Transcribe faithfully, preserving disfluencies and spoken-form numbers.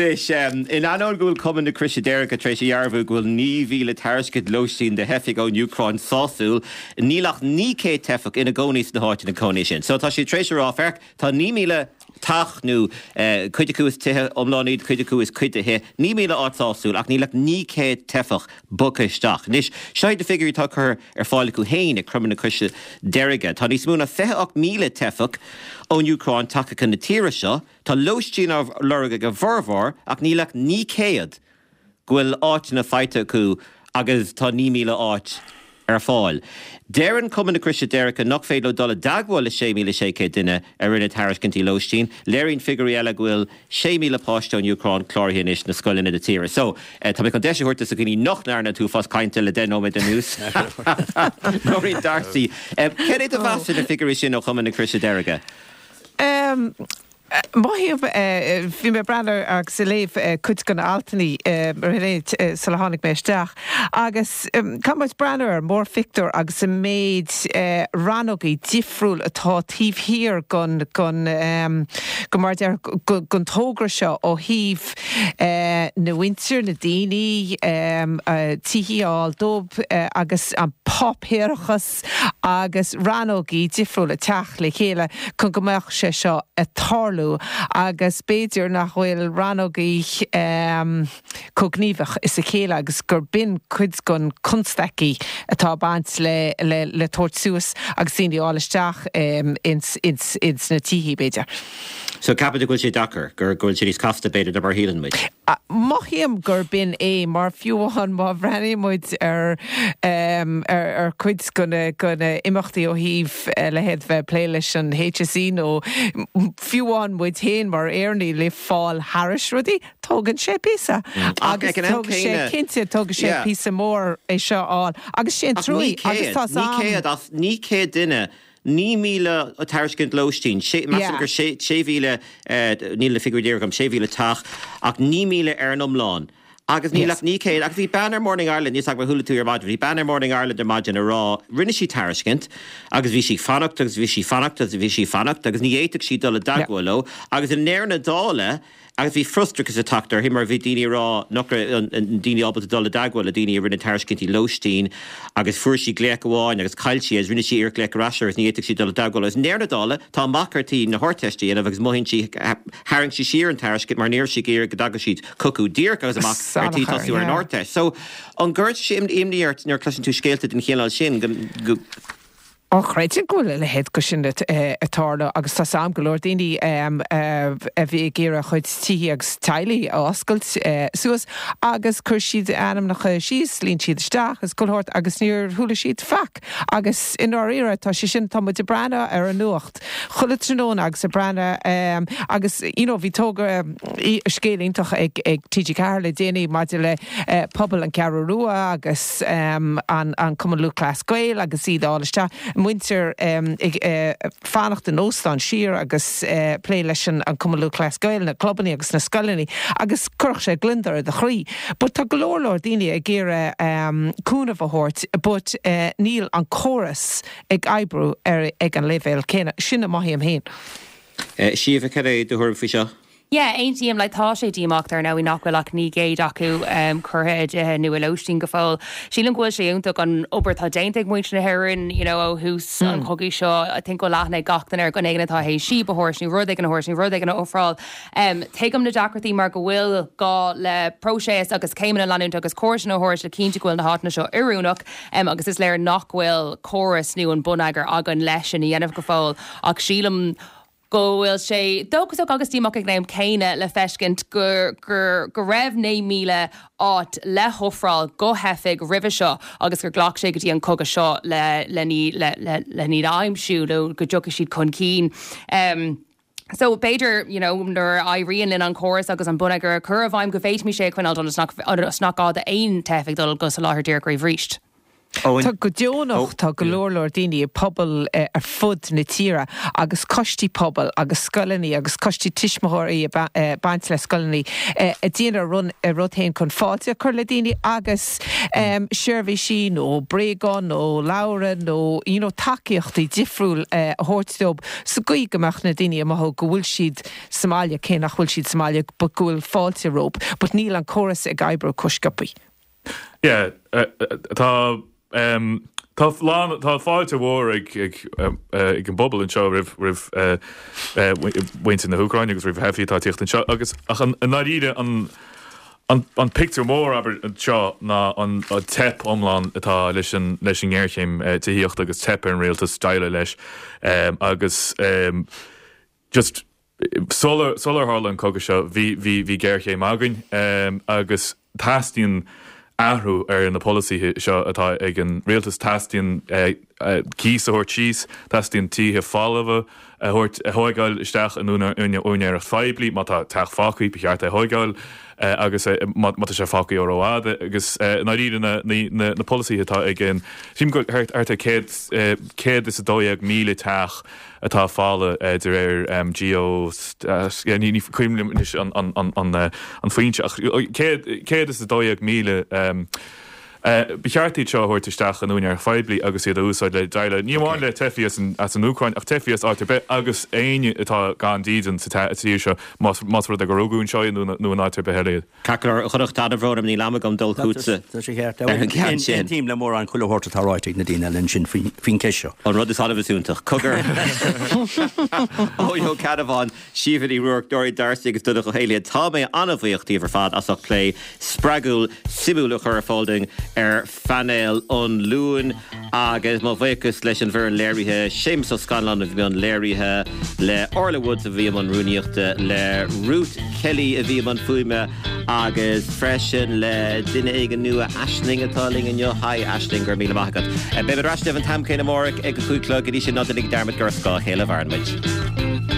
Anois, in ainneoin go bhfuil Cumann na Croise Deirge tar éis a dhearbhú go bhfuil naoi mhíle tairiscint lóistín do theifigh ón Úcráin sásúil, níl ach naoi céad teifeach ina gcónaí sna háiteanna cónaí sin. So tá siad tar éis a rá, féach, tá naoi míle teach nó cuid acu is tithe iomlán iad, cuid acu is cuid de thithe, naoi míle áit sásúil ach níl ach naoi céad teifeach bogtha isteach. Anois, seo iad na figiúirí atá curtha ar fáil acu féin ag Cumann na Croise Deirge. Tá níos mó ná fiche ocht míle teifeach ón Úcráin tagtha chun na tíre seo. Tá lóistín á lorg ag a bhformhór ach níl ach naoi céad go bhfuil áiteanna faighte acu agus tá naoi míle áit ar fáil. Deireann Cumann na Croise Deirge nach féidir leo dul i dteagmháil le sé míle sé chéad duine a rinne tairiscintí lóistín. Léiríonn figiúirí eile go bhfuil sé míle páiste ón Úcráin cláraithe anois na scoileanna na tíre. So tá mé chun deis a thabhairt do dhaoine nach ndearna an t-uafás cainte le deich nóiméad anuas. Nóirín D'Arcy. Cad é do mheas ar na figiúirí sin ó Chumann na Croise Deirge? Um, Mothaím bhí mé breathnú agus ag léamh cuid de na haltanna sula tháinig mé isteach agus tá muid breathnú ar mórphictiúr agus an méid rannógaí difriúil atá taobh thiar den den go mar deir den togra seo ó thaobh na muintir na daoine tithe a fháil dóibh agus an páipéarachas agus rannógaí difriúil ag teacht le chéile chun go mbeadh sé seo ag tarlú agus b'fhéidir nach bhfuil rannógaí um, chomh gníomhach is a chéile agus gur b'in cuid den constaicí atá baint le, le, le tabhairt suas agus daoine a fháil isteach um, ins, ins, ins na tithe b'fhéidir. So ceapann tú go bhfuil sé deacair gur go bhfuil sé níos casta b'fhéidir ná mar a shíleann muid. Mothaím gur b'in é mar fiú amháin má bhreathnaíonn muid ar um, ar, ar cuid de na de na imeachtaí ó thaobh uh, le bheith ag plé leis an HSE nó fiú amháin muid féin mar Éireannaigh le fáil thairis rudaí, tógann sé píosa. Agus tógann sé cinnte tógann sé píosa mór é seo á agus sé trúí agus tá naoi céad duine naoi míle tairiscint lóistín gur sé mhíle níl na figiúirí agam sé mhíle teach ach naoi míle ar an iomlán. Agus níl ach naoi céad agus bhí bean ar Morning Ireland níos ag chuala tú ar maidin, bhí bean ar Morning Ireland ar maidin a rá rinne sí tairiscint agus bhí sí fanacht agus bhí sí fanacht agus bhí sí fanacht agus ní fhéadfadh sí dul i dteagmháil leo agus i ndeireadh na dála agus bhí frustrachas ag teacht uirthi mar bhí daoine rá nach daoine ábalta dul i dteagmháil le daoine a rinne tairiscintí lóistín agus fuair sí glaoch amháin agus chaill sí agus rinne sí iarracht glaoch ar ais agus ní fhéadfadh sí dul i dteagmháil agus i ndeireadh na dála tá a mac ar tí na hArdteiste a dhéanamh agus mothaíonn sí tharraing sí siar an tairiscint mar níor sí gur go dtagadh siad chucu díreach agus a mac ar tí tosú ar an Ardteist. So an gcuireann sé imní ort nuair a chloiseann tú scéalta den chineál sin go Á chreidim go bhfuil a leithéid go sin ag tarlú agus tá am go leor daoine a bhí ag iarraidh a chuid tithe agus teaghlaigh a oscailt suas agus chuir siad ainmneacha síos, líon siad isteach is culthórt agus níor chuala siad faic agus i ndáiríre tá sé sin tá muid ag breathnú ar an nuacht. Chuile tráthnóna agus ag breathnú agus you know, bhí togra scéal iontach ag ag TG Ceathair le déanaí maidir le pobal an Cheathrú Rua agus um, an, an Cumann Lúthchleas Gael agus iad á isteach muintir um, ag uh, fanacht in óstán siar agus uh, plé leis an, an Cumann Lúthchleas Gael na clubanna agus na scoileanna agus chuirfeadh sé gliondar ar do chroí. But tá go leor leor daoine ag iarraidh um, cúnamh a thabhairt, but uh, níl an córas ag oibriú ar ag an leibhéal céanna sin a mothaím féin. Uh, Síomha cad é do thuairim faoi seo? Yeah, aontaím le tá sé díomách ar ndóigh nach bhfuil ach naoi gcéad acu um, curtha i dtithe nó i lóistín go fóill. Sílim go bhfuil sé iontach an obair atá déanta ag muintir na hÉireann you know, ó thús mm. an chogaidh seo I think go leathna gach duine ar gan éigin atá théis síob a thabhairt nó rud éigin a thabhairt nó rud éigin a ofráil. Um, Tuigim na deacrachtaí mar go bhfuil gá le próiseas agus céimeanna leanúint agus córas na thabhairt le cinntiú go bhfuil na háiteanna seo oiriúnach um, agus is léir nach bhfuil córas nó an bonneagar againn leis sin a dhéanamh go fóill ach sílim go bhfuil sé dóchasach agus díomách ag an am céanna le feiscint gur gur go raibh naoi míle áit le hofráil do theifigh roimhe seo agus gur ghlac sé go dtí an cogadh seo le le ní le le le ní aimsiú nó go dtiocfaidh siad chun cinn. Um, So b'fhéidir you know, nuair a éiríonn linn an córas agus an bonneagar a chur i bhfeidhm go bhféadfaimid sé a choinneáil nach nach gá d'aon teifeach dul go soláthar díreach arís. Tá go deonach tá go leor leor daoine i pobal ar fud na tíre agus coistí pobail agus scoileanna agus coistí tuismitheoirí ag baint le scoileanna ag déanamh a rud féin chun fáilte a chur le daoine agus seirbhísí nó bréagáin nó leabhra nó you know tacaíochtaí difriúil a thabhairt dóibh sa gcaoi go mbeadh na daoine ag mothú go bhfuil siad sa mbaile cé nach bhfuil siad sa mbaile but go bhfuil fáilte rompu but níl an córas ag oibriú chomh sciobtha. Yeah, tá tá lán tá fáilte mhór ag ag ag an bpobal anseo roimh roimh mhuintir na hÚcráine agus roimh theifigh atá ag tíocht anseo agus ach an i ndáiríre an an an pictiúr mór abair anseo ná an teip iomlán atá leis an leis an ngéarchéim tithíochta agus teip ar an rialtas déileáil leis agus just sular sular tharla an cogadh seo bhí bhí bhí géarchéim againn agus teastaíonn athrú ar na polasaithe seo atá ag an rialtas teastaíonn cíos a thabhairt síos, teastaíonn tithe folmha a thabhairt a thógáil isteach in úinéireacht phoiblí, má tá teach fágtha ba cheart é a thógáil agus má tá sé fágtha ó rófhada agus i ndáiríre na na polasaithe atá ag an sílim go thart ar céad céad is a dó dhéag míle teach atá folamh de réir Geo ní cuimhin liom anois an foinse ach céad is a dó dhéag míle Ba cheart iad seo a thabhairt isteach in úinéireacht phoiblí agus iad a úsáid le déileáil ní amháin le teifigh as an Úcráin ach teifigh as áit ar bith agus éinne atá gan dídean sa tír seo más rud é gur rugadh anseo iad nó in áit ar bith eile iad. Ceart go leor, a Chonnacht, an-bhrón orm níl am agam dul chugatsa Tá sé ceart. ar an gceann sin. Aontaím le mórán chuile shórt atá ráite ag na daoine eile ansin faoin gceist seo. An rud is annamh is iontach. Cogar. Eoin Ó Ceannabháin, Síomha Ní Ruairc, Doireann D'Arcy agus Donncha Ó hÉallaithe, tá mé an-bhuíoch díobh ar fad as ucht plé spreagúil, suimiúil a chur ar fáil dúinn ar phainéal an Luain agus mo bhuíochas leis an bhfoireann léirithe, Séamus Ó Scanláin a bhí i mbun léirithe, le Orla Woods a bhí i mbun rúnaíochta, le Ruth Kelly a bhí i mbun fuaime agus freisin le duine éigin nua, Aisling atá linn inniu. Hi Aisling, go raibh míle maith agat. Beidh muid ar ais libh an t-am céanna amárach ag a cúig a chlog, go dtí sin ná déanaigí dearmad gur ar scáth a chéile a mhaireann muid.